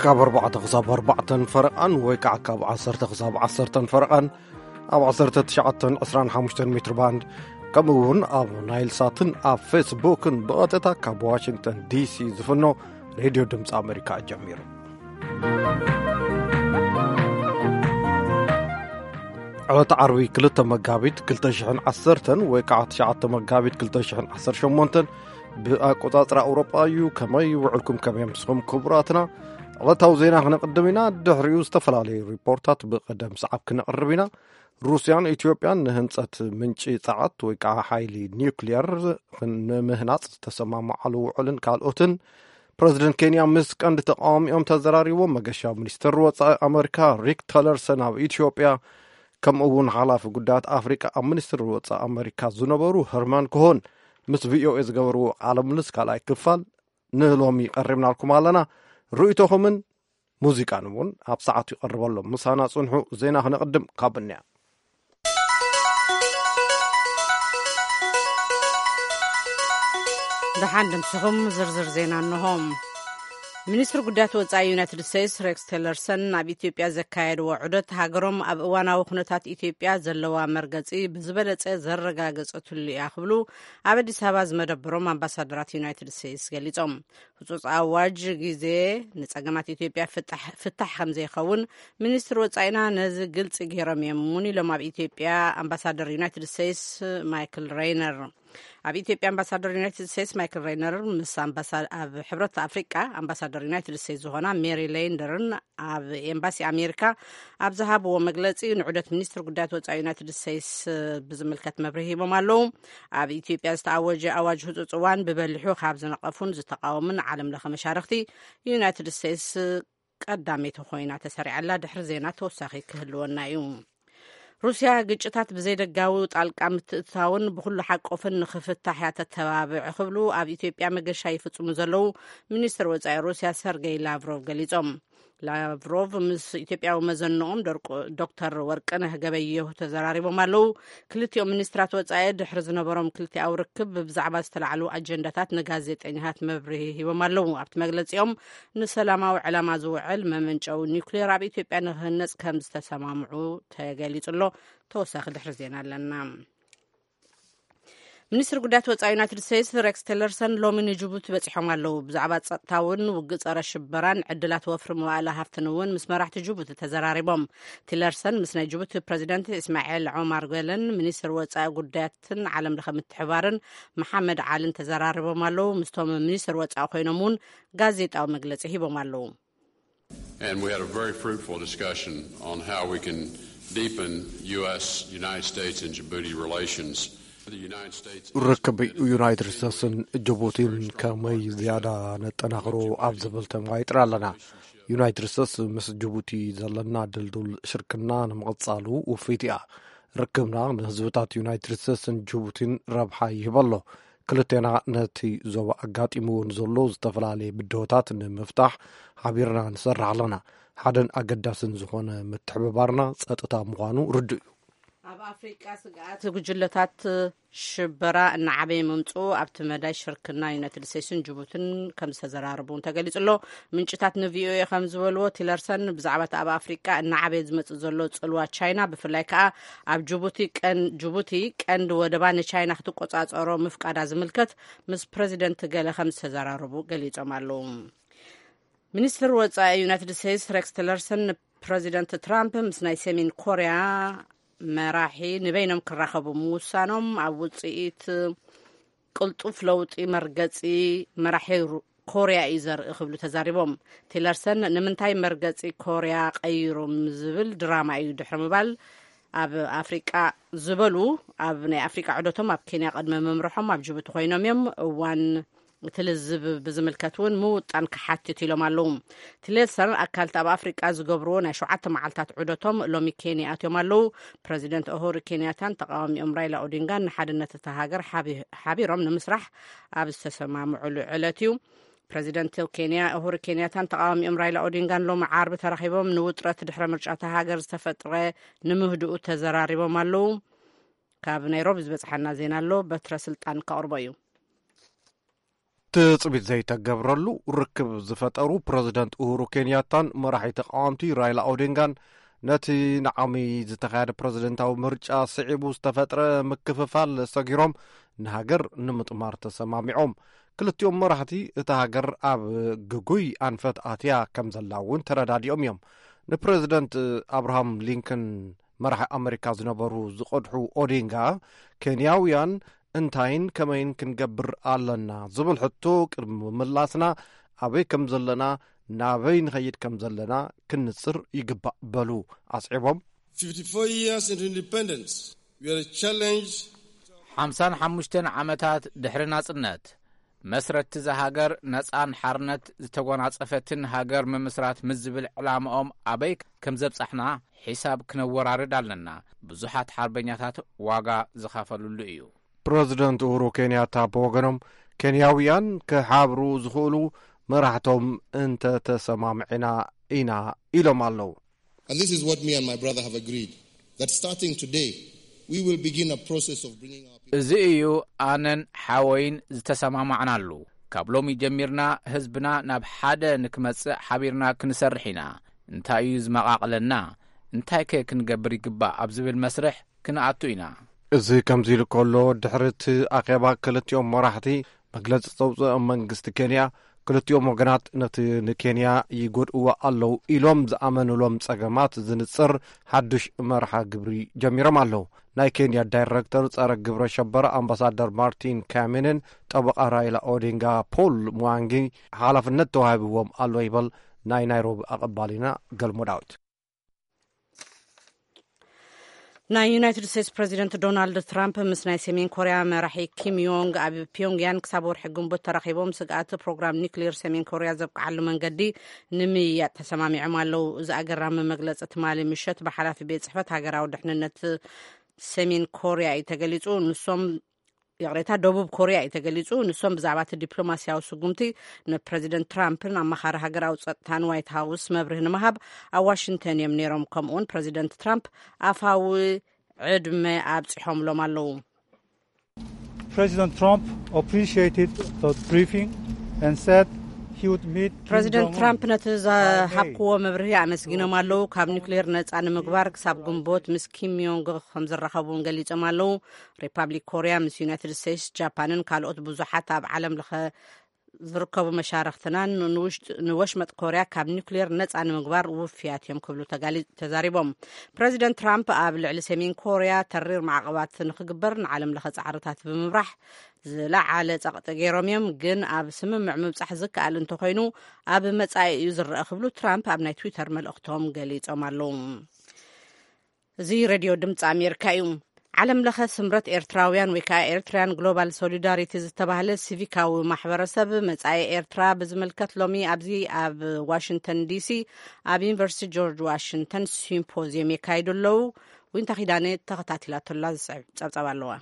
ካብ ኣርባዕተ ክሳብ ኣርባዕተን ፈረቓን ወይ ከዓ ካብ ዓሰርተ ክሳብ ዓሰርተን ፈረቓን ኣብ ዓሰርተ ትሽዓተን ዕስራን ሓሙሽተን ሜትር ባንድ፣ ከምኡ እውን ኣብ ናይል ሳትን ኣብ ፌስቡክን ብቐጥታ ካብ ዋሽንግተን ዲሲ ዝፍኖ ሬድዮ ድምፂ ኣሜሪካ ጀሚሩ። ዕለተ ዓርቢ ክልተ መጋቢት ክልተ ሽሕን ዓሰርተን ወይ ከዓ ትሽዓተ መጋቢት ክልተ ሽሕን ዓሰርተ ሸሞንተን ብኣቆጻጽራ ኣውሮጳ እዩ። ከመይ ውዕልኩም? ከመይ ኣምስኹም ክቡራትና? ዕለታዊ ዜና ክነቕድም ኢና። ድሕሪኡ ዝተፈላለዩ ሪፖርታት ብቐደም ሰዓብ ክነቕርብ ኢና። ሩስያን ኢትዮጵያን ንህንጸት ምንጪ ጸዓት ወይ ከዓ ሓይሊ ኒውክሊየር ንምህናጽ ዝተሰማማዓሉ ውዕልን ካልኦትን። ፕረዚደንት ኬንያ ምስ ቀንዲ ተቃዋሚኦም ተዘራሪቦም። መገሻ ሚኒስትር ወጻኢ ኣመሪካ ሪክ ተለርሰን ኣብ ኢትዮጵያ፣ ከምኡ እውን ሓላፊ ጉዳያት ኣፍሪቃ ኣብ ሚኒስትር ወጻኢ ኣመሪካ ዝነበሩ ሀርማን ኮሆን ምስ ቪኦኤ ዝገበርዎ ቃለ ምልልስ ካልኣይ ክፋል ንሎሚ ቀሪብናልኩም ኣለና። ርእይቶኹምን ሙዚቃን እውን ኣብ ሰዓቱ ይቐርበሎም። ምሳና ጽንሑ። ዜና ክነቕድም ካብ እንያ። ደሓን ድምስኹም። ዝርዝር ዜና እንሆ። ሚኒስትሪ ጉዳያት ወጻኢ ዩናይትድ ስቴትስ ሬክስ ቴለርሰን ኣብ ኢትዮጵያ ዘካየድዎ ዑደት፣ ሃገሮም ኣብ እዋናዊ ኩነታት ኢትዮጵያ ዘለዋ መርገጺ ብዝበለጸ ዘረጋገጸትሉ እያ ክብሉ ኣብ ኣዲስ ኣበባ ዝመደበሮም ኣምባሳደራት ዩናይትድ ስቴትስ ገሊጾም። ህጹጽ ኣዋጅ ግዜ ንጸገማት ኢትዮጵያ ፍታሕ፣ ፍታሕ ከም ዘይኸውን ሚኒስትሪ ወጻኢና ነዚ ግልጺ ገይሮም እዮም እውን ኢሎም ኣብ ኢትዮጵያ ኣምባሳደር ዩናይትድ ስቴትስ ማይክል ሬይነር። ኣብ ኢትዮጵያ ኣምባሳደር ዩናይትድ ስቴትስ ማይክል ሬይነር ምስ ኣምባሳ-፣ ኣብ ሕብረት ኣፍሪቃ ኣምባሳደር ዩናይትድ ስቴትስ ዝኾና ሜሪ ሌንደርን ኣብ ኤምባሲ ኣሜሪካ ኣብ ዝሃብዎ መግለጺ፣ ንዑደት ሚኒስትሪ ጉዳያት ወጻኢ ዩናይትድ ስቴትስ ብዝምልከት መብርሂ ሂቦም ኣለዉ። ኣብ ኢትዮጵያ ዝተኣወጀ ኣዋጅ ህጹጽ እዋን ብበሊሑ ካብ ዝነቐፉን ዝተቃወሙን ዓለም ለኸ መሻርኽቲ፣ ዩናይትድ ስቴትስ ቀዳመይቲ ኮይና ተሰሪዓላ። ድሕሪ ዜና ተወሳኺ ክህልወና እዩ። ሩስያ ግጭታት ብዘይደጋዊ ጣልቃ ምትእትታውን ብኹሉ ሓቆፍን ንኽፍታሕ እያ ተተባብዕ ክብሉ ኣብ ኢትዮጵያ መገሻ ይፍጽሙ ዘለዉ ሚኒስትር ወጻኢ ሩስያ ሰርጌይ ላቭሮቭ ገሊጾም። ላቭሮቭ ምስ ኢትዮጵያዊ መዘንኦም ደርቆ-፣ ዶክተር ወርቅነህ ገበየሁ ተዘራሪቦም ኣለዉ። ክልቲኦም ሚኒስትራት ወጻኢ ድሕሪ ዝነበሮም ክልቲኣዊ ርክብ ብዛዕባ ዝተላዕሉ ኣጀንዳታት ንጋዜጠኛታት መብርሂ ሂቦም ኣለዉ። ኣብቲ መግለጺኦም፣ ንሰላማዊ ዕላማ ዝውዕል መመንጨዊ ኒውክሌር ኣብ ኢትዮጵያ ንክህነጽ ከም ዝተሰማምዑ ተገሊጹ ኣሎ። ተወሳኺ ድሕሪ ዜና ኣለና። ሚኒስትሪ ጉዳያት ወጻኢ ዩናይትድ ስቴትስ ሬክስ ቲለርሰን ሎሚ ንጅቡቲ በጺሖም ኣለዉ። ብዛዕባ ጸጥታውን ውግእ ጸረ ሽበራን ዕድላት ወፍሪ መዋእለ ሃፍትን እውን ምስ መራሕቲ ጅቡቲ ተዘራሪቦም። ቲለርሰን ምስ ናይ ጅቡቲ ፕረዚደንት እስማኤል ዖማር ጌለን፣ ሚኒስትር ወጻኢ ጉዳያትን ዓለም ለኸ ምትሕባርን መሓመድ ዓልን ተዘራሪቦም ኣለዉ። ምስቶም ሚኒስትር ወጻኢ ኮይኖም እውን ጋዜጣዊ መግለጺ ሂቦም ኣለዉ። And we had a very fruitful discussion on how we can deepen U S, United States, and Djibouti relations. The United States is ርክብ ዩናይትድ ስቴትስን ጅቡቲን ከመይ ዝያዳ ነጠናኽሮ ኣብ ዝብል ተማይጥና ኣለና። ዩናይትድ ስቴትስ ምስ ጅቡቲ ዘለና ድልዱል ሽርክና ንምቕጻሉ ውፍይቲ እያ። ርክብና ንህዝብታት ዩናይትድ ስቴትስን ጅቡቲን ረብሓ ይህብ ኣሎ። ክልቴና ነቲ ዞባ ኣጋጢምዎ ንዘሎ ዝተፈላለየ ብድሆታት ንምፍታሕ ሓቢርና ንሰርሕ ኣለና። ሓደን ኣገዳስን ዝኾነ ምትሕብባርና ጸጥታ ምዃኑ ርዱእ እዩ። ኣብ ኣፍሪቃ ስግኣት ጉጅለታት ሽበራ እናዓበየ ምምጽኡ ኣብቲ መዳይ ሽርክና ዩናይትድ ስቴትስን ጅቡትን ከም ዝተዘራረቡ እውን ተገሊጹ ኣሎ። ምንጭታት ንቪኦኤ ከም ዝበልዎ፣ ቲለርሰን ብዛዕባ እቲ ኣብ ኣፍሪቃ እናዓበየ ዝመጽእ ዘሎ ጽልዋ ቻይና፣ ብፍላይ ከኣ ኣብ ጅቡቲ ቀን-፣ ጅቡቲ ቀንዲ ወደባ ንቻይና ክትቆጻጸሮ ምፍቃዳ ዝምልከት ምስ ፕረዚደንት ገለ ከም ዝተዘራረቡ ገሊጾም ኣለዉ። ሚኒስትር ወጻኢ ዩናይትድ ስቴትስ ሬክስ ቲለርሰን ንፕረዚደንት ትራምፕ ምስ ናይ ሰሜን ኮርያ መራሒ ንበይኖም ክራኸቡ ምውሳኖም ኣብ ውጽኢት ቅልጡፍ ለውጢ መርገጺ መራሒ ሩ-፣ ኮርያ እዩ ዘርኢ ክብሉ ተዛሪቦም። ቲለርሰን ንምንታይ መርገጺ ኮርያ ቀይሮም ዝብል ድራማ እዩ ድሕሪ ምባል፣ ኣብ ኣፍሪቃ ዝበሉ፣ ኣብ ናይ ኣፍሪቃ ዑደቶም ኣብ ኬንያ ቅድሚ ምምርሖም ኣብ ጅቡቲ ኮይኖም እዮም። እዋን እቲ ልዝብ ብዝምልከት እውን ምውጣን ክሓትት ኢሎም ኣለዉ። ቲለርሰን ኣካልቲ ኣብ ኣፍሪቃ ዝገብርዎ ናይ ሸውዓተ መዓልታት ዑደቶም ሎሚ ኬንያ ኣትዮም ኣለዉ። ፕረዚደንት ኡሁሩ ኬንያታን ተቃዋሚኦም ራይላ ኦዲንጋን ንሓድነት እታ ሃገር ሓቢ-፣ ሓቢሮም ንምስራሕ ኣብ ዝተሰማምዑሉ ዕለት እዩ። ፕረዚደንት ኬንያ ኡሁሩ ኬንያታን ተቃዋሚኦም ራይላ ኦዲንጋን ሎሚ ዓርቢ ተራኺቦም ንውጥረት ድሕረ ምርጫ እታ ሃገር ዝተፈጥረ ንምህድኡ ተዘራሪቦም ኣለዉ። ካብ ናይሮቢ ዝበጽሓና ዜና ኣሎ፣ በትረ ስልጣን ከቕርቦ እዩ። ትጽቢት ዘይተገብረሉ ርክብ ዝፈጠሩ ፕረዚደንት ኡሁሩ ኬንያታን መራሒ ተቃወምቲ ራይላ ኦዲንጋን፣ ነቲ ንዓሚ ዝተኻየደ ፕረዚደንታዊ ምርጫ ስዒቡ ዝተፈጥረ ምክፍፋል ሰጊሮም፣ ንሃገር ንምጥማር ተሰማሚዖም። ክልቲኦም መራሕቲ፣ እታ ሃገር ኣብ ግጉይ ኣንፈት ኣትያ ከም ዘላ እውን ተረዳዲኦም እዮም። ንፕረዚደንት ኣብርሃም ሊንከን፣ መራሒ ኣመሪካ ዝነበሩ ዝቐድሑ ኦዲንጋ፣ ኬንያውያን፣ "እንታይን ከመይን ክንገብር ኣለና?" ዝብል ሕቶ ቅድሚ ምምላስና፣ ኣበይ ከም ዘለና፣ ናበይ ንኸይድ ከም ዘለና ክንጽር ይግባእ፣ በሉ ኣስዒቦም። fifty-four years into independence, we are challenged ሓምሳን ሓሙሽተን ዓመታት ድሕሪ ናጽነት፣ መስረትቲ እዛ ሃገር ነጻን ሓርነት ዝተጎናጸፈትን ሃገር ምምስራት ምስ ዝብል ዕላማኦም ኣበይ ከም ዘብጻሕና ሒሳብ ክነወራርድ ኣለና። ብዙሓት ሓርበኛታት ዋጋ ዝኸፈሉሉ እዩ። ፕረዚደንት ኡሁሩ ኬንያታ ብወገኖም፣ ኬንያውያን ክሓብሩ ዝኽእሉ መራሕቶም እንተተሰማምዕና ኢና ኢሎም ኣለዉ። And this is what me and my brother have agreed, that starting today, we will begin a process of bringing our people እዚ እዩ ኣነን ሓወይን ዝተሰማማዕናሉ። ካብ ሎሚ ጀሚርና ህዝብና ናብ ሓደ ንክመጽእ ሓቢርና ክንሰርሕ ኢና። እንታይ እዩ ዝመቓቕለና? እንታይከ ክንገብር ይግባእ ኣብ ዝብል መስርሕ ክንኣቱ ኢና። እዚ ከምዚ ኢሉ ከሎ፣ ድሕሪ እቲ ኣኼባ ክልቲኦም መራሕቲ መግለጺ ዘውጽአ መንግስቲ ኬንያ፣ ክልቲኦም ወገናት ነቲ ንኬንያ ይጎድእዋ ኣለዉ ኢሎም ዝኣመኑሎም ጸገማት ዝንጽር ሓድሽ መርሓ ግብሪ ጀሚሮም ኣለዉ። ናይ ኬንያ ዳይረክተር ጸረ ግብረ ሸበራ ኣምባሳደር ማርቲን ካሚንን ጠበቓ ራይላ ኦዲንጋ ፖል ሙዋንጊ ሓላፍነት ተዋሂብዎም ኣሎ ይበል ናይ ናይሮቢ ኣቐባሊና ገልሞ ዳዊት። ናይ ዩናይትድ ስቴትስ ፕረዚደንት ዶናልድ ትራምፕ ምስ ናይ ሰሜን ኮርያ መራሒ ኪም ዮንግ ኣብ ፒዮንግያን ክሳብ ወርሒ ግንቦት ተራኺቦም ስግኣት ፕሮግራም ኒክሌር ሰሜን ኮርያ ዘብቅዓሉ መንገዲ ንምይያጥ ተሰማሚዖም ኣለዉ። እዚ ኣገራሚ መግለጺ ትማሊ ምሸት ብሓላፊ ቤት ጽሕፈት ሃገራዊ ድሕንነት ሰሜን ኮርያ እዩ ተገሊጹ። ንሶም ይቕሬታ፣ ደቡብ ኮርያ እዩ ተገሊጹ። ንሶም ብዛዕባ እቲ ዲፕሎማስያዊ ስጉምቲ ንፕረዚደንት ትራምፕን ኣማኻሪ ሃገራዊ ጸጥታን ዋይት ሃውስ መብርሂ ንምሃብ ኣብ ዋሽንግተን እዮም ነይሮም። ከምኡውን ፕረዚደንት ትራምፕ ኣፋዊ ዕድመ ኣብጺሖምሎም ኣለዉ። President Trump appreciated the briefing and said he would meet Kim ፕረዚደንት Jong-un ትራምፕ ነቲ by May. ዝሃብክዎ መብርሂ ኣመስጊኖም ኣለዉ። ካብ ኒውክሌር ነጻ ንምግባር ክሳብ ግንቦት ምስ ኪም ዮንግ ከም ዝራኸቡ እውን ገሊጾም ኣለዉ። ሪፓብሊክ ኮርያ ምስ ዩናይትድ ስቴትስ፣ ጃፓንን ካልኦት ብዙሓት ኣብ ዓለም ለኸ ዝርከቡ መሻርኽትናን ንውሽጥ-፣ ንወሽመጥ ኮርያ ካብ ኒውክሌር ነጻ ንምግባር ውፍያት እዮም ክብሉ ተጋሊ-፣ ተዛሪቦም። ፕረዚደንት ትራምፕ ኣብ ልዕሊ ሰሜን ኮርያ ተሪር ማዕቐባት ንኽግበር ንዓለም ለኸ ጻዕርታት ብምምራሕ ዝለዓለ ጸቕጢ ገይሮም እዮም፣ ግን ኣብ ስምምዕ ምብጻሕ ዝከኣል እንተኾይኑ ኣብ መጻኢ እዩ ዝረአ ክብሉ ትራምፕ ኣብ ናይ ትዊተር መልእኽቶም ገሊጾም ኣለዉ። እዚ ሬድዮ ድምፂ ኣሜሪካ እዩ። ዓለም ለኸ ስምረት ኤርትራውያን ወይ ከዓ ኤርትራያን ግሎባል ሶሊዳሪቲ ዝተባህለ ሲቪካዊ ማሕበረሰብ መጻኢ ኤርትራ ብዝምልከት ሎሚ ኣብዚ ኣብ ዋሽንግተን ዲሲ ኣብ ዩኒቨርሲቲ ጆርጅ ዋሽንግተን ሲምፖዚየም የካይዱ ኣለዉ። ዊንታ ኪዳነ ተኸታቲላቶላ ዝስዕብ ጸብጻብ ኣለዋ።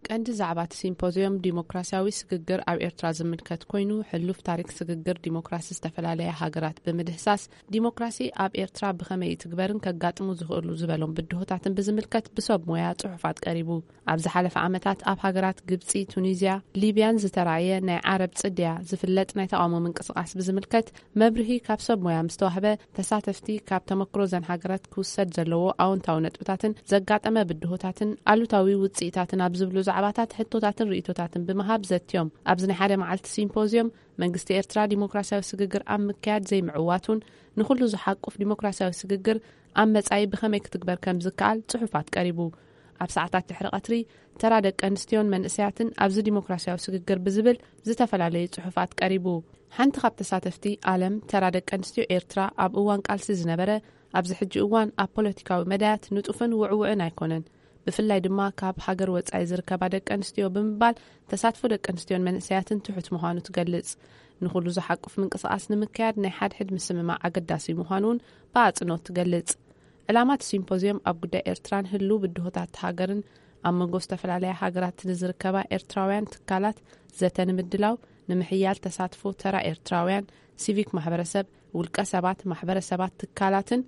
ቀንዲ ዛዕባ እቲ ሲምፖዚየም ዲሞክራሲያዊ ስግግር ኣብ ኤርትራ ዝምልከት ኮይኑ፣ ሕሉፍ ታሪክ ስግግር ዲሞክራሲ ዝተፈላለያ ሃገራት ብምድህሳስ፣ ዲሞክራሲ ኣብ ኤርትራ ብኸመይ ይትግበርን ከጋጥሙ ዝኽእሉ ዝበሎም ብድሆታትን ብዝምልከት ብሰብ ሞያ ጽሑፋት ቀሪቡ። ኣብ ዝሓለፈ ዓመታት ኣብ ሃገራት ግብጺ፣ ቱኒዝያ፣ ሊብያን ዝተራእየ ናይ ዓረብ ጽድያ ዝፍለጥ ናይ ተቓውሞ ምንቅስቓስ ብዝምልከት መብርሂ ካብ ሰብ ሞያ ምስ ተዋህበ፣ ተሳተፍቲ ካብ ተመክሮ ዘን ሃገራት ክውሰድ ዘለዎ ኣወንታዊ ነጥብታትን ዘጋጠመ ብድሆታትን ኣሉታዊ ውጽኢታትን ኣብ ዝብሉ ዛዕባታት ሕቶታትን ርእይቶታትን ብምሃብ ዘትዮም። ኣብዚ ናይ ሓደ መዓልቲ ሲምፖዝዮም፣ መንግስቲ ኤርትራ ዲሞክራሲያዊ ስግግር ኣብ ምክያድ ዘይምዕዋቱን ንኹሉ ዝሓቁፍ ዲሞክራሲያዊ ስግግር ኣብ መጻኢ ብኸመይ ክትግበር ከም ዝከኣል ጽሑፋት ቀሪቡ። ኣብ ሰዓታት ድሕሪ ቀትሪ፣ ተራ ደቂ ኣንስትዮን መንእሰያትን ኣብዚ ዲሞክራሲያዊ ስግግር ብዝብል ዝተፈላለዩ ጽሑፋት ቀሪቡ። ሓንቲ ካብ ተሳተፍቲ፣ ኣለም፣ ተራ ደቂ ኣንስትዮ ኤርትራ ኣብ እዋን ቃልሲ ዝነበረ፣ ኣብዚ ሕጂ እዋን ኣብ ፖለቲካዊ መዳያት ንጡፍን ውዕውዕን ኣይኮነን፣ ብፍላይ ድማ ካብ ሃገር ወጻኢ ዝርከባ ደቂ ኣንስትዮ ብምባል፣ ተሳትፎ ደቂ ኣንስትዮን መንእሰያትን ትሑት ምዃኑ ትገልጽ። ንኹሉ ዝሓቁፍ ምንቅስቓስ ንምክያድ ናይ ሓድሕድ ምስምማዕ ኣገዳሲ ምዃኑ እውን ብኣጽንኦት ትገልጽ። ዕላማ እቲ ሲምፖዝዮም ኣብ ጉዳይ ኤርትራን ህሉው ብድሆታት ሃገርን ኣብ መንጎ ዝተፈላለያ ሃገራት ንዝርከባ ኤርትራውያን ትካላት ዘተ ንምድላው፣ ንምሕያል ተሳትፎ ተራ ኤርትራውያን፣ ሲቪክ ማሕበረሰብ፣ ውልቀ ሰባት፣ ማሕበረሰባት፣ ትካላትን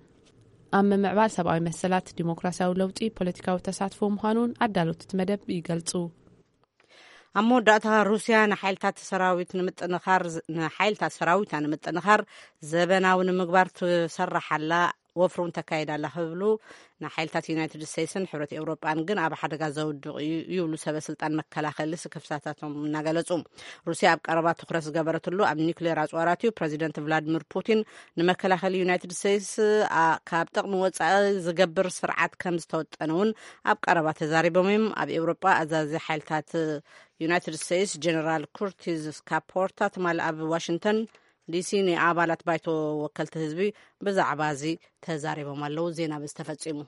ኣብ ምምዕባል ሰብኣዊ መሰላት፣ ዲሞክራሲያዊ ለውጢ፣ ፖለቲካዊ ተሳትፎ ምዃኑን ኣዳለውቲ እቲ መደብ ይገልጹ። ኣብ መወዳእታ፣ ሩስያ ንሓይልታት ሰራዊት ንምጥንኻር፣ ንሓይልታት ሰራዊታ ንምጥንኻር ዘበናዊ ንምግባር ትሰርሕ ኣላ፣ ወፍሪ እውን ተካይድ ኣላ ክብሉ ንሓይልታት ዩናይትድ ስቴትስን ሕብረት ኤውሮጳን ግን ኣብ ሓደጋ ዘውድቕ እዩ ይብሉ ሰበ ስልጣን መከላኸሊ ስክፍታታቶም እናገለጹ። ሩስያ ኣብ ቀረባ ትኹረት ዝገበረትሉ ኣብ ኒውክሌር ኣጽዋራት እዩ። ፕረዚደንት ቭላዲሚር ፑቲን ንመከላኸሊ ዩናይትድ ስቴትስ ኣ- ካብ ጥቕሚ ወጻኢ ዝገብር ስርዓት ከም ዝተወጠነ እውን ኣብ ቀረባ ተዛሪቦም እዮም። ኣብ ኤውሮጳ ኣዛዚ ሓይልታት ዩናይትድ ስቴትስ ጀነራል ኩርቲዝ ካፖርታ ትማሊ ኣብ ዋሽንግተን ዲሲ ንኣባላት ባይቶ ወከልቲ ህዝቢ ብዛዕባ እዚ ተዛሪቦም ኣለዉ። ዜና በዚ ተፈጺሙ።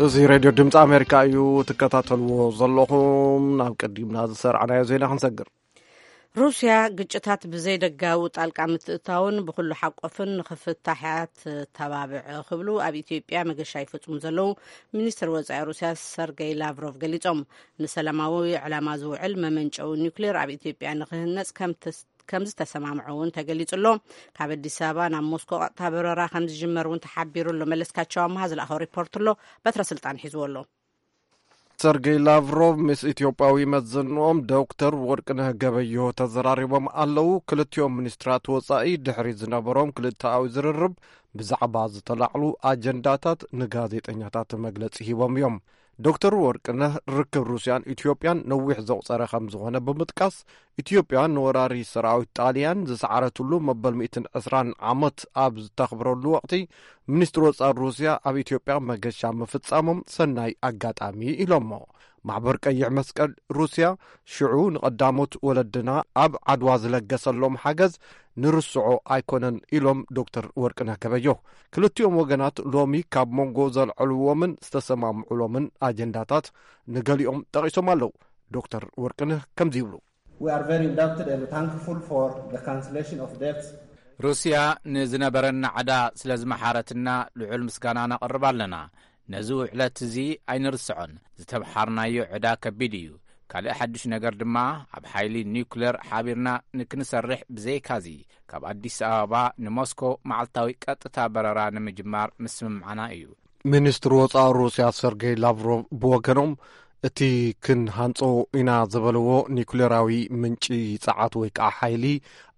እዚ ሬድዮ ድምፂ ኣሜሪካ እዩ ትከታተልዎ ዘለኹም። ናብ ቀዲምና ዝሰርዓናዮ ዜና ክንሰግር። ሩስያ ግጭታት ብዘይደጋዊ ጣልቃ ምትእታውን ብኩሉ ሓቆፍን ንኽፍታሕ እያ ትተባብዕ ክብሉ ኣብ ኢትዮጵያ መገሻ ይፈጽሙ ዘለዉ ሚኒስትር ወጻኢ ሩስያ ሰርገይ ላቭሮቭ ገሊጾም። ንሰላማዊ ዕላማ ዝውዕል መመንጨዊ ኒውክሌር ኣብ ኢትዮጵያ ንክህነጽ ከም ተስ- ከም ዝተሰማምዑ እውን ተገሊጹ ኣሎ። ካብ ኣዲስ ኣበባ ናብ ሞስኮ ቀጥታ በረራ ከም ዝጅመር እውን ተሓቢሩ ኣሎ። መለስካቸው ኣምሃ ዝለኣኸው ሪፖርት ኣሎ። በትረ ስልጣን ሒዝዎ ኣሎ። ሰርጌይ ላቭሮቭ ምስ ኢትዮጵያዊ መዘንኦም ዶክተር ወርቅነህ ገበዮ ተዘራሪቦም ኣለዉ። ክልቲኦም ሚኒስትራት ወጻኢ ድሕሪ ዝነበሮም ክልተኣዊ ዝርርብ ብዛዕባ ዝተላዕሉ ኣጀንዳታት ንጋዜጠኛታት መግለጺ ሂቦም እዮም። ዶክተር ወርቅነህ ርክብ ሩስያን ኢትዮጵያን ነዊሕ ዘቑጸረ ከም ዝኾነ ብምጥቃስ፣ ኢትዮጵያ ንወራሪ ሰራዊት ጣልያን ዝሰዓረትሉ መበል ሚእትን ዕስራን ዓመት ኣብ ዝተኽብረሉ ወቕቲ፣ ሚኒስትሪ ወጻኢ ሩስያ ኣብ ኢትዮጵያ መገሻ ምፍጻሞም ሰናይ ኣጋጣሚ ኢሎሞ። ማሕበር ቀይሕ መስቀል ሩስያ ሽዑ ንቐዳሞት ወለድና ኣብ ዓድዋ ዝለገሰሎም ሓገዝ ንርስዖ ኣይኮነን ኢሎም ዶክተር ወርቅነህ ገበዮ። ክልቲኦም ወገናት ሎሚ ካብ መንጎ ዘልዐልዎምን ዝተሰማምዑሎምን ኣጀንዳታት ንገሊኦም ጠቒሶም ኣለዉ። ዶክተር ወርቅነህ ከምዚ ይብሉ። We are very indebted and thankful for the cancellation of debts. ሩስያ ንዝነበረና ዕዳ ስለ ዝመሓረትና ልዑል ምስጋና ነቕርብ ኣለና። ነዚ ውዕለት እዚ ኣይንርስዖን። ዝተምሓርናዮ ዕዳ ከቢድ እዩ። ካልእ ሓድሽ ነገር ድማ ኣብ ሓይሊ ኒውክለር ሓቢርና ንክንሰርሕ ብዘይካዚ ካብ ኣዲስ ኣበባ ንሞስኮ መዓልታዊ ቀጥታ በረራ ንምጅማር ምስምማዕና እዩ። ሚኒስትሪ ወጻኢ ሩስያ ሰርጌይ ላቭሮቭ ብወገኖም እቲ ክንሃንጾ ኢና ዝበልዎ ኒኩሌራዊ ምንጪ ጸዓት ወይ ከዓ ሓይሊ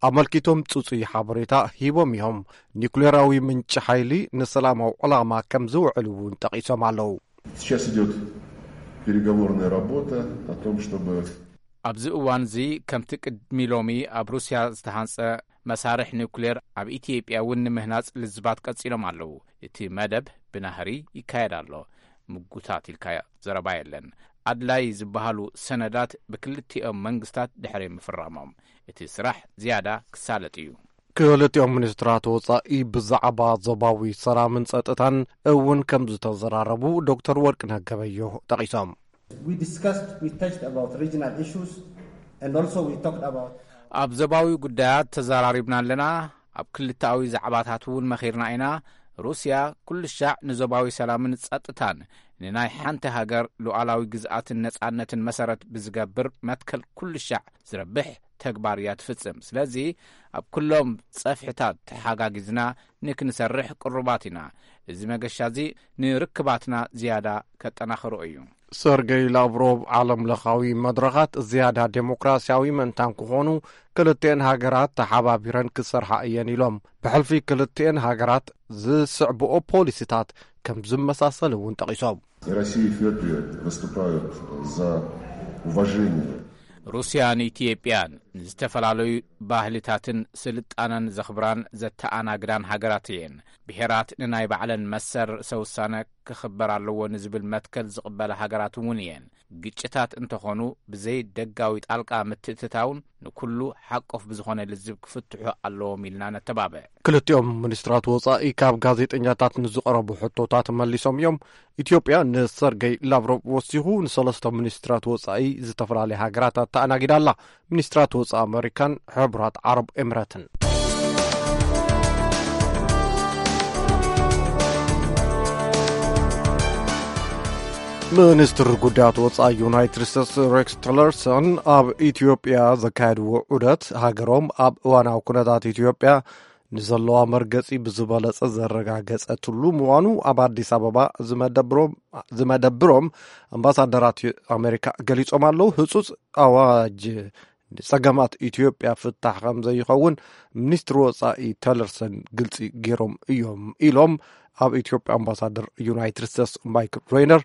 ኣመልኪቶም ጽጹይ ሓበሬታ ሂቦም እዮም። ኒኩሌራዊ ምንጪ ሓይሊ ንሰላማዊ ዕላማ ከም ዝውዕል እውን ጠቒሶም ኣለዉ። Сейчас идет переговорная работа о том, чтобы ኣብዚ እዋን እዚ ከምቲ ቅድሚ ሎሚ ኣብ ሩስያ ዝተሃንጸ መሳርሕ ኒውክሌር ኣብ ኢትዮጵያ እውን ንምህናጽ ልዝባት ቀጺሎም ኣለዉ። እቲ መደብ ብናህሪ ይካየድ ኣሎ። ምጉታት ኢልካ ዘረባ የለን። ኣድላይ ዝበሃሉ ሰነዳት ብክልቲኦም መንግስታት ድሕሪ ምፍራሞም እቲ ስራሕ ዝያዳ ክሳለጥ እዩ። ክልቲኦም ሚኒስትራት ወጻኢ ብዛዕባ ዞባዊ ሰላምን ጸጥታን እውን ከም ዝተዘራረቡ ዶክተር ወርቅነህ ገበዮ ጠቒሶም። We discussed, we touched about regional issues, and also we talked about ኣብ ዞባዊ ጉዳያት ተዘራሪብና ኣለና። ኣብ ክልተኣዊ ዛዕባታት እውን መኺርና ኢና። ሩስያ ኩሉ ሻዕ ንዞባዊ ሰላምን ጸጥታን ንናይ ሓንቲ ሃገር ሉዓላዊ ግዝኣትን ነጻነትን መሰረት ብዝገብር መትከል ኩሉ ሻዕ ዝረብሕ ተግባር እያ ትፍጽም። ስለዚ ኣብ ኩሎም ጸፍሕታት ተሓጋጊዝና ንክንሰርሕ ቅሩባት ኢና። እዚ መገሻ እዚ ንርክባትና ዝያዳ ከጠናኽሮ እዩ። ሰርጌይ ላቭሮቭ ዓለም ለኻዊ መድረኻት ዝያዳ ዴሞክራሲያዊ ምእንታን ክኾኑ ክልተኤን ሃገራት ተሓባቢረን ክሰርሓ እየን ኢሎም። ብሕልፊ ክልተኤን ሃገራት ዝስዕብኦ ፖሊሲታት ከም ዝመሳሰል እውን ጠቒሶም። И Россия, и Эфиопия выступают за уважение. ሩስያን ኢትዮጵያን ንዝተፈላለዩ ባህልታትን ስልጣነን ዘኽብራን ዘተኣናግዳን ሃገራት እየን። ብሄራት ንናይ ባዕለን መሰል ርእሰ ውሳነ ክኽበር ኣለዎ ንዝብል መትከል ዝቕበላ ሃገራት እውን እየን። ግጭታት እንተኾኑ ብዘይ ደጋዊ ጣልቃ ምትእትታውን ንኩሉ ሓቆፍ ብዝኾነ ልዝብ ክፍትሑ ኣለዎም ኢልና ነተባብዕ። ክልቲኦም ሚኒስትራት ወጻኢ ካብ ጋዜጠኛታት ንዝቐረቡ ሕቶታት መሊሶም እዮም። ኢትዮጵያ ንሰርጌይ ላቭሮቭ ወሲኹ ንሰለስተ ሚኒስትራት ወጻኢ ዝተፈላለያ ሃገራት ኣተኣናጊዳ ኣላ። ሚኒስትራት ወጻኢ ኣመሪካን ሕቡራት ዓረብ ኤምረትን። ሚኒስትር ጉዳያት ወጻኢ ዩናይትድ ስቴትስ ሬክስ ቲለርሰን ኣብ ኢትዮጵያ ዘካየድዎ ዑደት፣ ሃገሮም ኣብ እዋናዊ ኩነታት ኢትዮጵያ ንዘለዋ መርገጺ ብዝበለጸ ዘረጋገጸትሉ ምዃኑ ኣብ ኣዲስ ኣበባ ዝመደብሮም ኣምባሳደራት ኣሜሪካ ገሊጾም ኣለዉ። ህጹጽ ኣዋጅ ንጸገማት ኢትዮጵያ ፍታሕ ከም ዘይኸውን ሚኒስትሪ ወጻኢ ተለርሰን ግልጺ ገይሮም እዮም ኢሎም ኣብ ኢትዮጵያ ኣምባሳደር ዩናይትድ ስቴትስ ማይክል ሬይነር።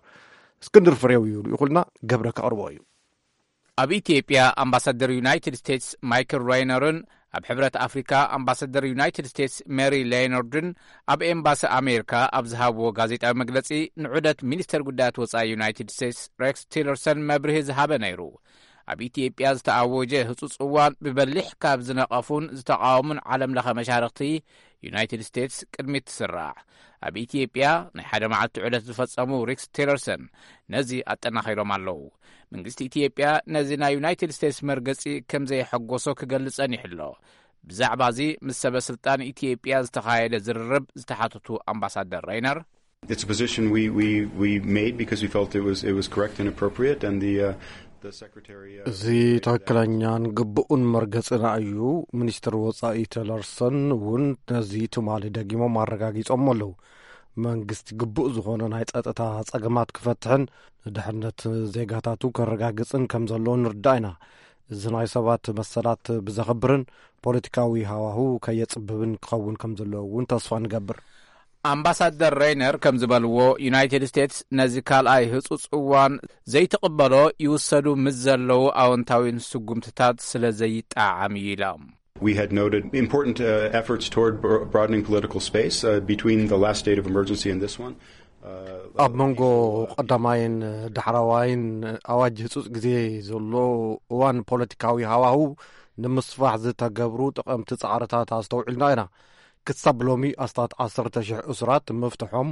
እስክንድር ፍሬው እዩ ልኢኹልና፣ ገብረ ከቕርቦ እዩ። ኣብ ኢትዮጵያ ኣምባሳደር ዩናይትድ ስቴትስ ማይክል ሬይነርን ኣብ ሕብረት ኣፍሪካ ኣምባሳደር ዩናይትድ ስቴትስ ሜሪ ሌኖርድን ኣብ ኤምባሲ ኣሜሪካ ኣብ ዝሃብዎ ጋዜጣዊ መግለጺ፣ ንዑደት ሚኒስተር ጉዳያት ወጻኢ ዩናይትድ ስቴትስ ሬክስ ቲለርሰን መብርሂ ዝሃበ ነይሩ። ኣብ ኢትዮጵያ ዝተኣወጀ ህጹጽ እዋን ብበሊሕ ካብ ዝነቐፉን ዝተቓወሙን ዓለም ለኸ መሻርኽቲ ዩናይትድ ስቴትስ ቅድሚት ትስራዕ። ኣብ ኢትዮጵያ ናይ ሓደ መዓልቲ ዑደት ዝፈጸሙ ሬክስ ቲለርሰን ነዚ ኣጠናኺሮም ኣለዉ። መንግስቲ ኢትዮጵያ ነዚ ናይ ዩናይትድ ስቴትስ መርገጺ ከም ዘየሐጎሶ ክገልጽ ጸኒሑ ኣሎ። ብዛዕባ እዚ ምስ ሰበ ስልጣን ኢትዮጵያ ዝተኻየደ ዝርርብ ዝተሓተቱ ኣምባሳደር ሬይነር፣ It's a position we, we, we made because we felt it was, it was correct and appropriate, and the, uh, the secretary, uh, እዚ ትኽክለኛን ግቡእን መርገጽና እዩ። ሚኒስትር ወጻኢ ቲለርሰን እውን ነዚ ትማሊ ደጊሞም ኣረጋጊጾም ኣለዉ። መንግስቲ ግቡእ ዝኾነ ናይ ጸጥታ ጸገማት ክፈትሕን ንድሕነት ዜጋታቱ ከረጋግጽን ከም ዘለዎ ንርዳእ ኢና። እዚ ናይ ሰባት መሰላት ብዘኽብርን ፖለቲካዊ ሃዋሁ ከየጽብብን ክኸውን ከም ዘለዎ እውን ተስፋ ንገብር። ኣምባሳደር ሬይነር ከም ዝበልዎ፣ ዩናይትድ ስቴትስ ነዚ ካልኣይ ህጹጽ እዋን ዘይትቕበሎ ይውሰዱ ምስ ዘለዉ ኣወንታዊ ስጉምትታት ስለ ዘይጠዓም እዩ ኢሎም። We had noted important, uh, efforts toward bro- broadening political space, uh, between the last state of emergency and this one. Uh, ኣብ መንጎ ቀዳማይን ዳሕራዋይን ኣዋጅ ህጹጽ ግዜ ዘሎ እዋን ፖለቲካዊ ሃዋሁ ንምስፋሕ ዝተገብሩ ጠቐምቲ ጻዕርታት ኣስተውዒልና ኢና። ክሳብ ሎሚ ኣስታት ዓሰርተ ሽሕ እሱራት ምፍትሖም፣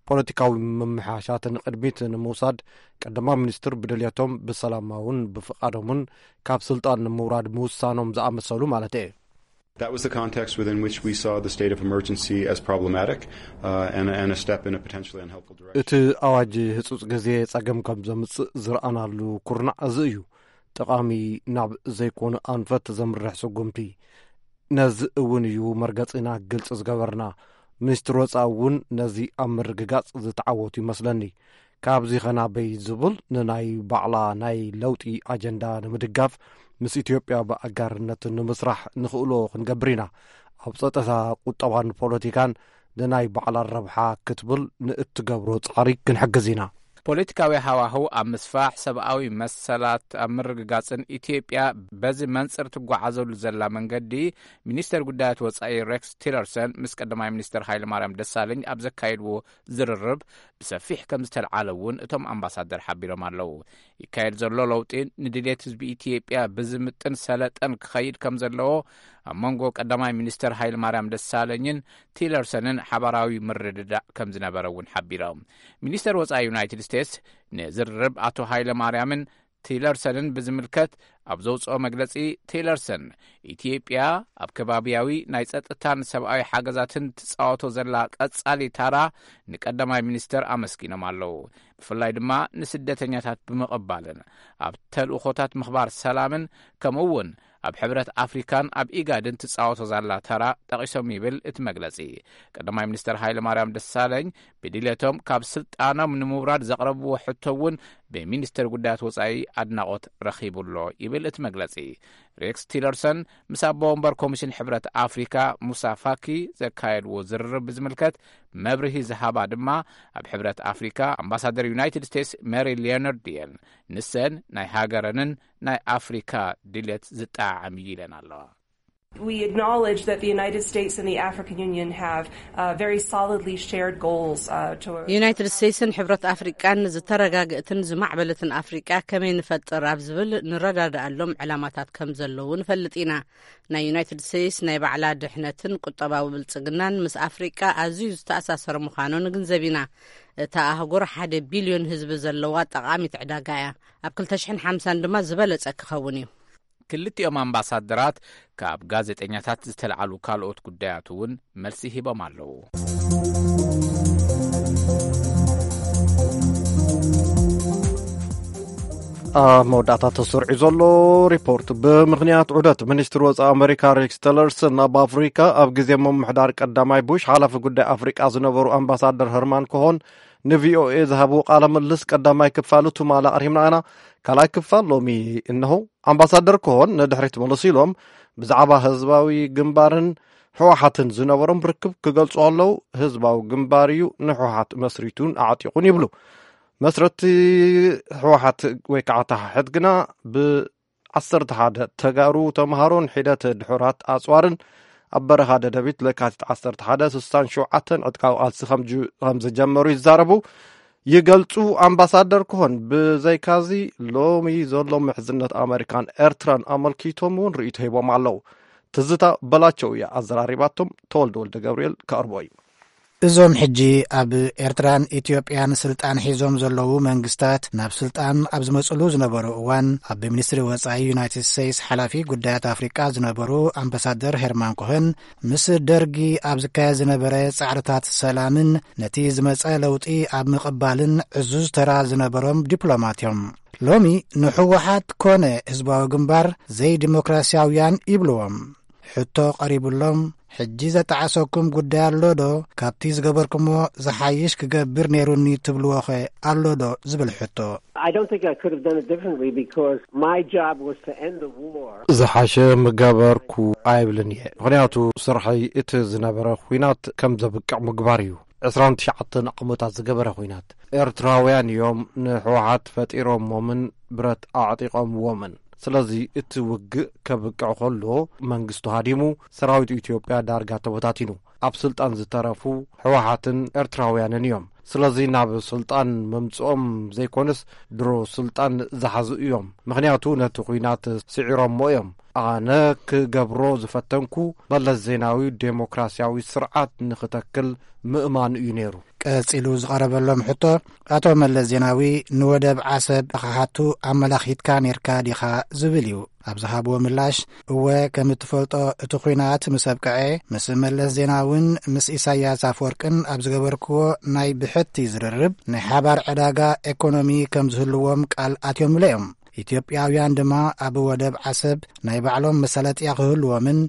ፖለቲካዊ ምምሕያሻት ንቕድሚት ንምውሳድ ቀዳማይ ሚኒስትር ብድልየቶም ብሰላማውን ብፍቓዶምን ካብ ስልጣን ንምውራድ ምውሳኖም ዝኣመሰሉ ማለት እየ። That was the context within which we saw the state of emergency as problematic, uh, and, and a step in a potentially unhelpful direction. እቲ ኣዋጅ ህጹጽ ግዜ ጸገም ከም ዘምጽእ ዝረኣናሉ ኩርናዕ እዚ እዩ። ጠቓሚ ናብ ዘይኮነ ኣንፈት ዘምርሕ ስጉምቲ። ነዚ እውን እዩ መርገጺና ግልጺ ዝገበርና። ሚኒስትር ወጻኢ እውን ነዚ ኣብ ምርግጋጽ ዝተዓወቱ ይመስለኒ። ካብዚ ኸናበይ ዝብል ንናይ ባዕላ ናይ ለውጢ ኣጀንዳ ንምድጋፍ ምስ ኢትዮጵያ ብኣጋርነት ንምስራሕ ንኽእሎ ክንገብር ኢና። ኣብ ጸጥታ፣ ቁጠባን ፖለቲካን ንናይ ባዕላ ረብሓ ክትብል ንእትገብሮ ጻዕሪ ክንሕግዝ ኢና። ፖለቲካዊ ሃዋህው ኣብ ምስፋሕ፣ ሰብኣዊ መሰላት ኣብ ምርግጋጽን ኢትዮጵያ በዚ መንጽር ትጓዓዘሉ ዘላ መንገዲ፣ ሚኒስተር ጉዳያት ወጻኢ ሬክስ ቲለርሰን ምስ ቀዳማይ ሚኒስተር ሃይለማርያም ደሳለኝ ኣብ ዘካየድዎ ዝርርብ ብሰፊሕ ከም ዝተልዓለ እውን እቶም ኣምባሳደር ሓቢሮም ኣለዉ። ይካየድ ዘሎ ለውጢ ንድሌት ህዝቢ ኢትዮጵያ ብዝምጥን ሰለጠን ክኸይድ ከም ዘለዎ ኣብ መንጎ ቀዳማይ ሚኒስተር ሃይለማርያም ደሳለኝን ቲለርሰንን ሓባራዊ ምርድዳእ ከም ዝነበረ እውን ሓቢሮም። ሚኒስተር ወጻኢ ዩናይትድ ስቴትስ ንዝርርብ ኣቶ ሃይለ ማርያምን ቲለርሰንን ብዝምልከት ኣብ ዘውፅኦ መግለፂ፣ ቲለርሰን ኢትዮጵያ ኣብ ከባቢያዊ ናይ ጸጥታን ሰብኣዊ ሓገዛትን ትጻወቶ ዘላ ቀጻሊ ታራ ንቀዳማይ ሚኒስተር ኣመስጊኖም ኣለዉ። ብፍላይ ድማ ንስደተኛታት ብምቕባልን ኣብ ተልእኾታት ምኽባር ሰላምን ከምኡ እውን ኣብ ሕብረት ኣፍሪካን ኣብ ኢጋድን ትጻወቶ ዘላ ተራ ጠቒሶም ይብል እቲ መግለጺ። ቀዳማይ ሚኒስተር ሃይለ ማርያም ደሳለኝ ብድሌቶም ካብ ስልጣኖም ንምውራድ ዘቕረብዎ ሕቶ እውን ብሚኒስተር ጉዳያት ወጻኢ ኣድናቖት ረኺቡ ኣሎ ይብል እቲ መግለጺ። ሬክስ ቲለርሰን ምስ ኣቦ ወንበር ኮሚሽን ሕብረት ኣፍሪካ ሙሳ ፋኪ ዘካየድዎ ዝርርብ ብዝምልከት መብርሂ ዝሃባ ድማ ኣብ ሕብረት ኣፍሪካ ኣምባሳደር ዩናይትድ ስቴትስ ሜሪ ሊዮናርድ እየን። ንሰን ናይ ሃገረንን ናይ ኣፍሪካ ድሌት ዝጠዓዓም እዩ ኢለን ኣለዋ። We acknowledge that the United States and the African Union have uh, very solidly shared goals uh, to ዩናይትድ ስቴትስን ሕብረት ኣፍሪቃን ዝተረጋግእትን ዝማዕበለትን ኣፍሪቃ ከመይ ንፈጥር ኣብ ዝብል ንረዳድኣሎም ዕላማታት ከም ዘለዉ ንፈልጥ ኢና። ናይ ዩናይትድ ስቴትስ ናይ ባዕላ ድሕነትን ቁጠባዊ ብልጽግናን ምስ ኣፍሪቃ ኣዝዩ ዝተኣሳሰረ ምዃኑ ንግንዘብ ኢና። እታ ኣህጉር ሓደ ቢልዮን ህዝቢ ዘለዋ ጠቓሚት ዕዳጋ እያ። ኣብ ክልተ ሽሕን ሓምሳን ድማ ዝበለጸ ክኸውን እዩ። ክልቲኦም ኣምባሳደራት ካብ ጋዜጠኛታት ዝተልዓሉ ካልኦት ጉዳያት እውን መልሲ ሂቦም ኣለዉ። ኣብ መወዳእታ ተሰሪዑ ዘሎ ሪፖርት፣ ብምኽንያት ዑደት ሚኒስትሪ ወጻኢ ኣመሪካ ሬክስ ቲለርሰን ናብ ኣፍሪካ፣ ኣብ ግዜ ምምሕዳር ቀዳማይ ቡሽ ሓላፊ ጉዳይ ኣፍሪቃ ዝነበሩ ኣምባሳደር ሀርማን ኮሆን ንቪኦኤ ዝሃብዎ ቃለ ምልልስ ቀዳማይ ክፋሉ ትማሊ ኣቕሪብና ኢና። ካልኣይ ክፋል ሎሚ እነሆ። ኣምባሳደር ኮሆን ንድሕሪት መለስ ኢሎም ብዛዕባ ህዝባዊ ግንባርን ህወሓትን ዝነበሮም ርክብ ክገልጹ ከለዉ፣ ህዝባዊ ግንባር እዩ ንህወሓት መስሪቱን ኣዕጢቑን ይብሉ። መስረቲ ህወሓት ወይ ከዓ ተሓሕት ግና ብዓሰርተ ሓደ ተጋሩ ተምሃሮን ሒደት ድሑራት ኣፅዋርን ኣብ በረኻ ደደቢት ለካቲት ዓሰርተ ሓደ ስሳን ሸውዓተን ዕጥቃዊ ቃልሲ ከም ጅ-፣ ከም ዝጀመሩ ይዛረቡ፣ ይገልጹ። ኣምባሳደር ኮሆን ብዘይካዚ ሎሚ ዘሎ ምሕዝነት ኣመሪካን ኤርትራን ኣመልኪቶም እውን ርእይቶ ሂቦም ኣለዉ። ትዝታ በላቸው እያ ኣዘራሪባቶም። ተወልደ ወልደ ገብርኤል ከቕርቦ እዩ። እዞም ሕጂ ኣብ ኤርትራን ኢትዮጵያን ስልጣን ሒዞም ዘለዉ መንግስታት፣ ናብ ስልጣን ኣብ ዝመጽሉ ዝነበሩ እዋን፣ ኣብ ሚኒስትሪ ወጻኢ ዩናይትድ ስቴትስ ሓላፊ ጉዳያት ኣፍሪቃ ዝነበሩ ኣምባሳደር ሄርማን ኮሄን፣ ምስ ደርጊ ኣብ ዝካየድ ዝነበረ ጻዕርታት ሰላምን ነቲ ዝመጸ ለውጢ ኣብ ምቕባልን ዕዙዝ ተራ ዝነበሮም ዲፕሎማት እዮም። ሎሚ ንህወሓት ኮነ ህዝባዊ ግንባር ዘይዲሞክራሲያውያን ይብልዎም። ሕቶ ቀሪቡሎም፣ ሕጂ ዘጣዓሰኩም ጉዳይ ኣሎ ዶ? ካብቲ ዝገበርኩሞ ዝሓይሽ ክገብር ነይሩኒ ትብልዎ ኸ ኣሎ ዶ? ዝብል ሕቶ። I don't think I could have done it differently because my job was to end the war. ዝሓሸ ምገበርኩ ኣይብልን እየ። ምኽንያቱ ስርሐይ እቲ ዝነበረ ኹናት ከም ዘብቅዕ ምግባር እዩ። ዕስራን ትሽዓተን ዓመታት ዝገበረ ኹናት። ኤርትራውያን እዮም ንህወሓት ፈጢሮሞምን ብረት ኣዕጢቖምዎምን። ስለዚ እቲ ውግእ ከብቅዕ ከሎ መንግስቱ ሃዲሙ፣ ሰራዊት ኢትዮጵያ ዳርጋ ተበታቲኑ። ኣብ ስልጣን ዝተረፉ ህወሓትን ኤርትራውያንን እዮም። ስለዚ ናብ ስልጣን መምጽኦም ዘይኮነስ ድሮ ስልጣን ዝሓዙ እዮም። ምኽንያቱ ነቲ ኹናት ስዒሮሞ እዮም። ኣነ ክገብሮ ዝፈተንኩ መለስ ዜናዊ ዴሞክራሲያዊ ስርዓት ንኽተክል ምእማኑ እዩ ነይሩ። ቀጺሉ ዝቐረበሎም ሕቶ፣ ኣቶ መለስ ዜናዊ ንወደብ ዓሰብ ክሓቱ ኣመላኺትካ ኔርካ ዲኻ ዝብል እዩ። ኣብ ዝሃብዎ ምላሽ፣ እወ፣ ከም እትፈልጦ እቲ ኹናት ምስ ኣብቅዐ፣ ምስ መለስ ዜናውን ምስ ኢሳያስ ኣፈወርቅን ኣብ ዝገበርክዎ ናይ ብሕቲ ዝርርብ፣ ናይ ሓባር ዕዳጋ ኤኮኖሚ ከም ዝህልዎም ቃል ኣትዮምለ እዮም። ኢትዮጵያውያን ድማ ኣብ ወደብ ዓሰብ ናይ ባዕሎም መሳለጥያ ክህልዎምን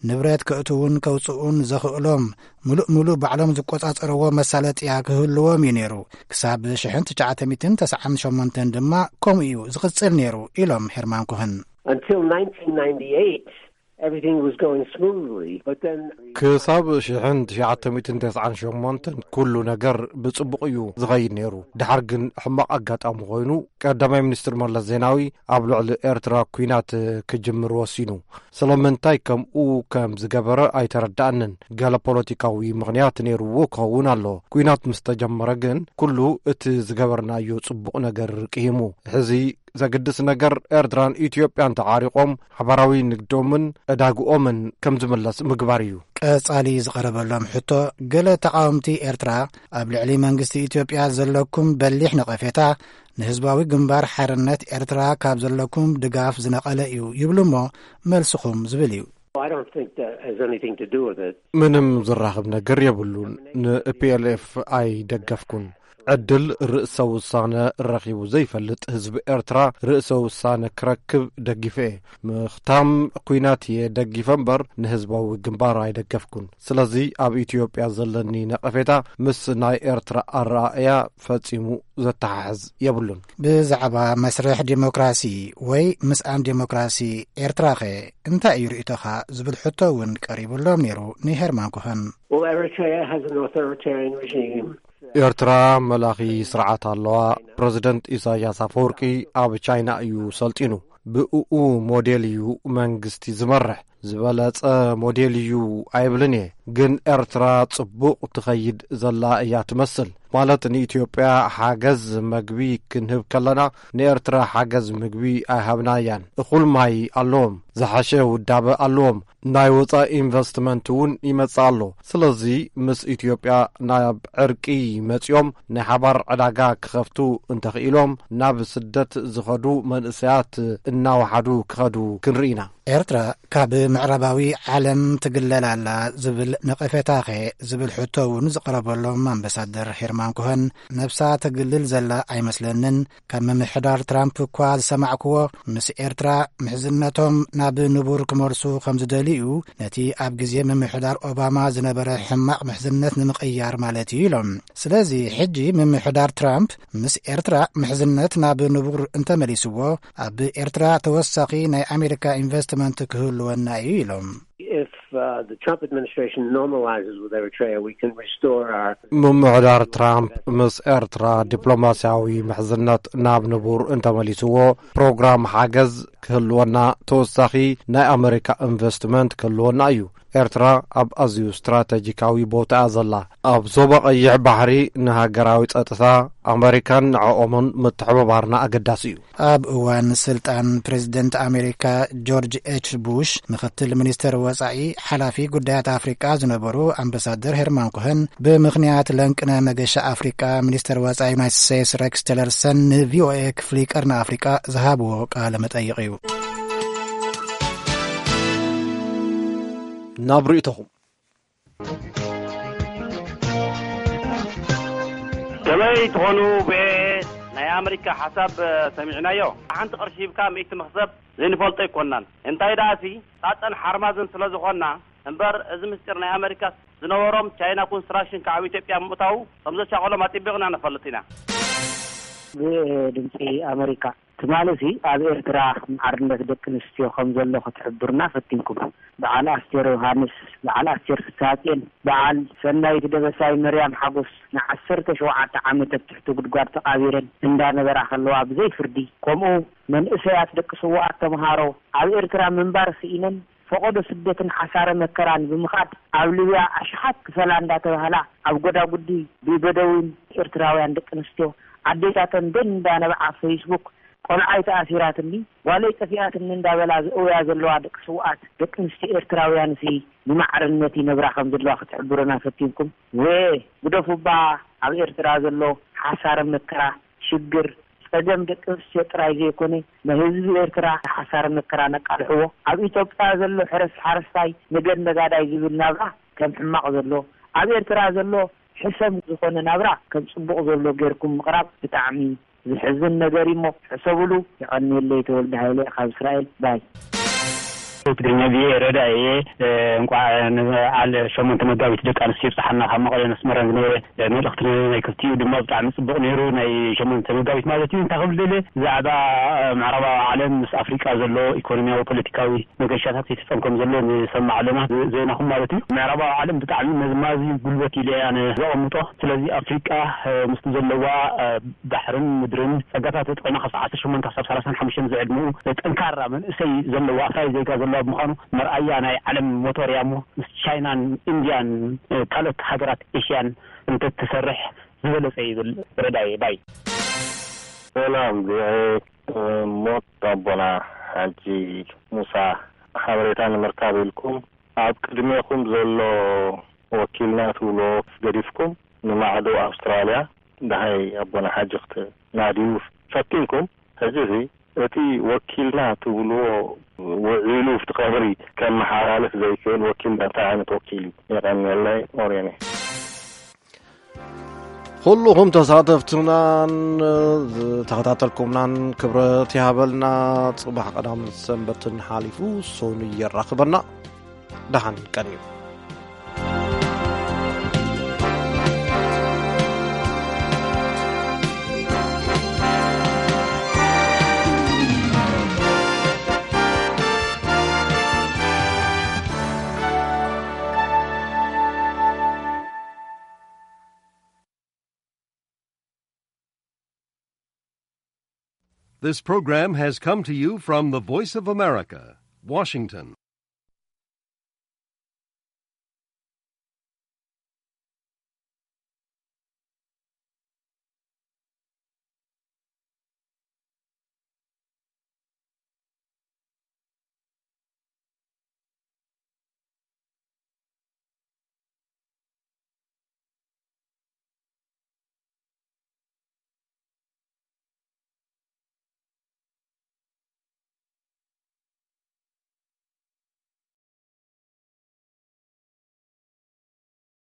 ንብረት ከእትዉን ከውጽኡን ዘኽእሎም ምሉእ ምሉእ ባዕሎም ዝቆጻጸርዎ መሳለጥያ ክህልዎም እዩ ነይሩ። ክሳብ ሽሕን ትሽዓተ ሚእትን ተስዓን ሸሞንተን ድማ ከምኡ እዩ ዝቕጽል ነይሩ ኢሎም ሄርማን ኮህን። Until nineteen ninety-eight, everything was going smoothly, but then ክሳብ ሽሕን ትሽዓተ ሚእትን ተስዓን ሸሞንተን ኩሉ ነገር ብጽቡቕ እዩ ዝኸይድ ነይሩ። ድሓር ግን ሕማቕ ኣጋጣሚ ኮይኑ ቀዳማይ ሚኒስትር መለስ ዜናዊ ኣብ ልዕሊ ኤርትራ ኲናት ክጅምር ወሲኑ። ስለምንታይ ከምኡ ከም ዝገበረ ኣይተረዳኣንን። ገለ ፖለቲካዊ ምኽንያት ነይርዎ ክኸውን ኣሎ። ኲናት ምስ ተጀመረ ግን ኩሉ እቲ ዝገበርናዮ ጽቡቕ ነገር ቅሂሙ። ሕዚ ዘግድስ ነገር ኤርትራን ኢትዮጵያን ተዓሪቖም ሓባራዊ ንግዶምን ዕዳግኦምን ከም ዝምለስ ምግባር እዩ። ቀጻሊ ዝቐረበሎም ሕቶ፣ ገለ ተቓወምቲ ኤርትራ ኣብ ልዕሊ መንግስቲ ኢትዮጵያ ዘለኩም በሊሕ ነቐፌታ ንህዝባዊ ግንባር ሓርነት ኤርትራ ካብ ዘለኩም ድጋፍ ዝነቐለ እዩ ይብሉ እሞ፣ መልስኹም ዝብል እዩ። I don't think that has anything to do with it. ምንም ዝራኸብ ነገር የብሉን። ንፒኤልኤፍ ኣይደገፍኩን። ዕድል ርእሰ ውሳነ ረኺቡ ዘይፈልጥ ህዝቢ ኤርትራ ርእሰ ውሳነ ክረክብ ደጊፈ እየ። ምኽታም ኲናት እየ ደጊፈ እምበር ንህዝባዊ ግንባር ኣይደገፍኩን። ስለዚ ኣብ ኢትዮጵያ ዘለኒ ነቐፌታ ምስ ናይ ኤርትራ ኣረኣእያ ፈጺሙ ዘተሓሕዝ የብሉን። ብዛዕባ መስርሕ ዲሞክራሲ ወይ ምስኣን ዲሞክራሲ ኤርትራኸ እንታይ እዩ ርእይቶኻ ዝብል ሕቶ እውን ቀሪቡሎም ነይሩ ንሄርማን ኮኸን። Well, Eritrea has an authoritarian regime. ኤርትራ መላኺ ስርዓት ኣለዋ። ፕረዚደንት ኢሳያስ ኣፈወርቂ ኣብ ቻይና እዩ ሰልጢኑ። ብእኡ ሞዴል እዩ መንግስቲ ዝመርሕ። ዝበለጸ ሞዴል እዩ ኣይብልን እየ። ግን ኤርትራ ጽቡቕ ትኸይድ ዘላ እያ ትመስል። ማለት ንኢትዮጵያ ሓገዝ መግቢ ክንህብ ከለና ንኤርትራ ሓገዝ ምግቢ ኣይሃብናያን። እኹል ማይ ኣለዎም። ዝሓሸ ውዳበ ኣለዎም። ናይ ወጻኢ ኢንቨስትመንት እውን ይመጽእ ኣሎ። ስለዚ ምስ ኢትዮጵያ ናብ ዕርቂ መጺኦም ናይ ሓባር ዕዳጋ ክኸፍቱ እንተኽኢሎም ናብ ስደት ዝኸዱ መንእሰያት እናወሓዱ ክኸዱ ክንርኢ ኢና። ኤርትራ ካብ ምዕራባዊ ዓለም ትግለል ኣላ ዝብል ነቐፌታኸ ዝብል ሕቶ እውን ዝቐረበሎም ኣምባሳደር ሄርማን ኮሀን፣ ነብሳ ተግልል ዘላ ኣይመስለንን። ካብ ምምሕዳር ትራምፕ እኳ ዝሰማዕክዎ፣ ምስ ኤርትራ ምሕዝነቶም ናብ ንቡር ክመልሱ ከም ዝደልዩ፣ ነቲ ኣብ ግዜ ምምሕዳር ኦባማ ዝነበረ ሕማቕ ምሕዝነት ንምቕያር ማለት እዩ ኢሎም። ስለዚ ሕጂ ምምሕዳር ትራምፕ ምስ ኤርትራ ምሕዝነት ናብ ንቡር እንተመሊስዎ፣ ኣብ ኤርትራ ተወሳኺ ናይ ኣሜሪካ ኢንቨስትመንት ክህልወና እዩ ኢሎም። If uh, the Trump administration normalizes with Eritrea, we can restore our ምምሕዳር ትራምፕ ምስ ኤርትራ ዲፕሎማስያዊ ምሕዝነት ናብ ንቡር እንተመሊስዎ፣ ፕሮግራም ሓገዝ ክህልወና፣ ተወሳኺ ናይ ኣመሪካ ኢንቨስትመንት ክህልወና እዩ። ኤርትራ ኣብ ኣዝዩ ስትራተጂካዊ ቦታ እያ ዘላ። ኣብ ዞባ ቀይሕ ባሕሪ ንሃገራዊ ጸጥታ ኣመሪካን ንዕኦምን ምትሕብባርና ኣገዳሲ እዩ። ኣብ እዋን ስልጣን ፕሬዝደንት ኣሜሪካ ጆርጅ ኤች ቡሽ፣ ምክትል ሚኒስተር ወጻኢ ሓላፊ ጉዳያት ኣፍሪቃ ዝነበሩ ኣምባሳደር ሄርማን ኮሀን፣ ብምኽንያት ለንቅነ መገሻ ኣፍሪቃ፣ ሚኒስተር ወጻኢ ዩናይትድ ስቴትስ ሬክስ ቲለርሰን ንቪኦኤ ክፍሊ ቀርኒ ኣፍሪቃ ዝሃብዎ ቃለ መጠይቕ እዩ። ናብ ርእይቶኹም። ከመይ ትኾኑ ብኤ ናይ ኣመሪካ ሓሳብ ሰሚዕናዮ? ሓንቲ ቅርሺ ሂብካ ሚእቲ መኽሰብ ዘይንፈልጦ ኣይኮናን። እንታይ ደኣሲ ሳጠን ሓርማዝን ስለ ዝኾንና እምበር፣ እዚ ምስጢር ናይ ኣመሪካ ዝነበሮም ቻይና ኮንስትራክሽን ከዓብ ኢትዮጵያ ምእታዉ ከም ዘሻቐሎም ኣጢቢቕና ንፈልጥ ኢና። ብኤ ድምፂ ኣመሪካ። ትማሊ ሲ ኣብ ኤርትራ ማዕርነት ደቂ ኣንስትዮ ከም ዘሎ ክትሕብሩና ፈቲንኩም። በዓል ኣስቴር ዮሃንስ፣ በዓል ኣስቴር ፍስሃጽዮን፣ በዓል ሰናይት ደበሳይ፣ መርያም ሓጎስ ንዓሰርተ ሸውዓተ ዓመት ኣብ ትሕቲ ጉድጓድ ተቓቢረን እንዳነበራ ከለዋ ብዘይ ፍርዲ፣ ከምኡ መንእሰያት ደቂ ስውኣት ተምሃሮ ኣብ ኤርትራ ምንባር ስኢነን ፈቐዶ ስደትን ሓሳረ መከራን ብምኻድ ኣብ ሊብያ ኣሽሓት ክፈላ እንዳተባህላ ኣብ ጎዳጉዲ ብበደዊን ኤርትራውያን ደቂ ኣንስትዮ ኣዴታተን ደን እንዳነብዓ ፌስቡክ ቆልዓይ ተኣሲራትኒ፣ ጓለይ ጠፊኣትኒ እንዳበላ ዝእውያ ዘለዋ ደቂ ስውኣት ደቂ ኣንስትዮ ኤርትራውያንሲ ብማዕርነት ይነብራ ከም ዘለዋ ክትሕብሩና ፈቲንኩም። ወ ግደፉባ፣ ኣብ ኤርትራ ዘሎ ሓሳረ መከራ፣ ሽግር፣ ጸገም ደቂ ኣንስትዮ ጥራይ ዘይኮነ፣ ንህዝቢ ኤርትራ ሓሳረ መከራ ነቃልሕዎ። ኣብ ኢትዮጵያ ዘሎ ሕረስ ሓረስታይ ንገድ ነጋዳይ ዝብል ናብራ ከም ሕማቕ ዘሎ፣ ኣብ ኤርትራ ዘሎ ሕሰም ዝኾነ ናብራ ከም ጽቡቕ ዘሎ ጌርኩም ምቕራብ ብጣዕሚ ዝሕዝን ነገር እዩሞ ሕሰቡሉ። የቐንየለይ። ተወልደ ሃይለ ካብ እስራኤል። ባይ። ትግርኛ ቪኦኤ ረዳ እየ። እንቋዕ ንበዓል ሸሞንተ መጋቢት ደቂ ኣንስትዮ ይብጽሓና። ካብ መቐለን ኣስመራን ዝነበረ መልእኽቲ ናይ ክልቲኡ ድማ ብጣዕሚ ጽቡቕ ነይሩ። ናይ ሸሞንተ መጋቢት ማለት እዩ። እንታይ ክብል ደልየ፣ ብዛዕባ ምዕራባዊ ዓለም ምስ ኣፍሪቃ ዘሎ ኢኮኖሚያዊ፣ ፖለቲካዊ መገሻታት ይፍጸም ከም ዘሎ ንሰምዕ ኣለና፣ ዜናኹም ማለት እዩ። ምዕራባዊ ዓለም ብጣዕሚ መዝማዚ ጉልበት ኢለ እያ ኣነ ዘቐምጦ። ስለዚ ኣፍሪቃ፣ እ፣ ምስቲ ዘለዋ፣ እ፣ ባሕርን ምድርን ጸጋታት ተጠቒማ ካብ ዓሰርተ ሸሞንተ ክሳብ ሰላሳን ሓሙሽተን ዝዕድመኡ ጠንካራ መንእሰይ ዘለዋ፣ ኣፍራይ ዜጋ ዘለዋ ብምዃኑ መርኣያ ናይ ዓለም ሞቶር እያ እሞ ምስ ቻይናን ኢንድያን፣ እ፣ ካልኦት ሃገራት ኤሽያን እንተትሰርሕ ዝበለጸ ይብል ረዳየ ባይ። ሰላም ቪኦኤ፣ ሞት ኣቦና ሓጂ ሙሳ ሓበሬታ ንምርካብ ኢልኩም ኣብ ቅድሜኹም ዘሎ ወኪልና ትብልዎ ገዲፍኩም ንማዕዶ ኣውስትራልያ ደሃይ ኣቦና ሓጂ ክትናድዩ ፈቲንኩም። ሕጂ እዚ እቲ ወኪልና ትብልዎ ውዒሉ ኣብቲ ቀብሪ ከመሓላልፍ ዘይክእል ወኪል እንታይ ዓይነት ወኪል እዩ? የቐንየለይ። ኦርዮን እየ። ኩልኹም ተሳተፍትናን ዝተኸታተልኩምናን ክብረት ይሃበልና። ጽባሕ ቀዳምን ሰንበትን ሓሊፉ ሶኑ የራኽበና። ደሓን ቀንዩ። This program has come to you from the Voice of America, Washington.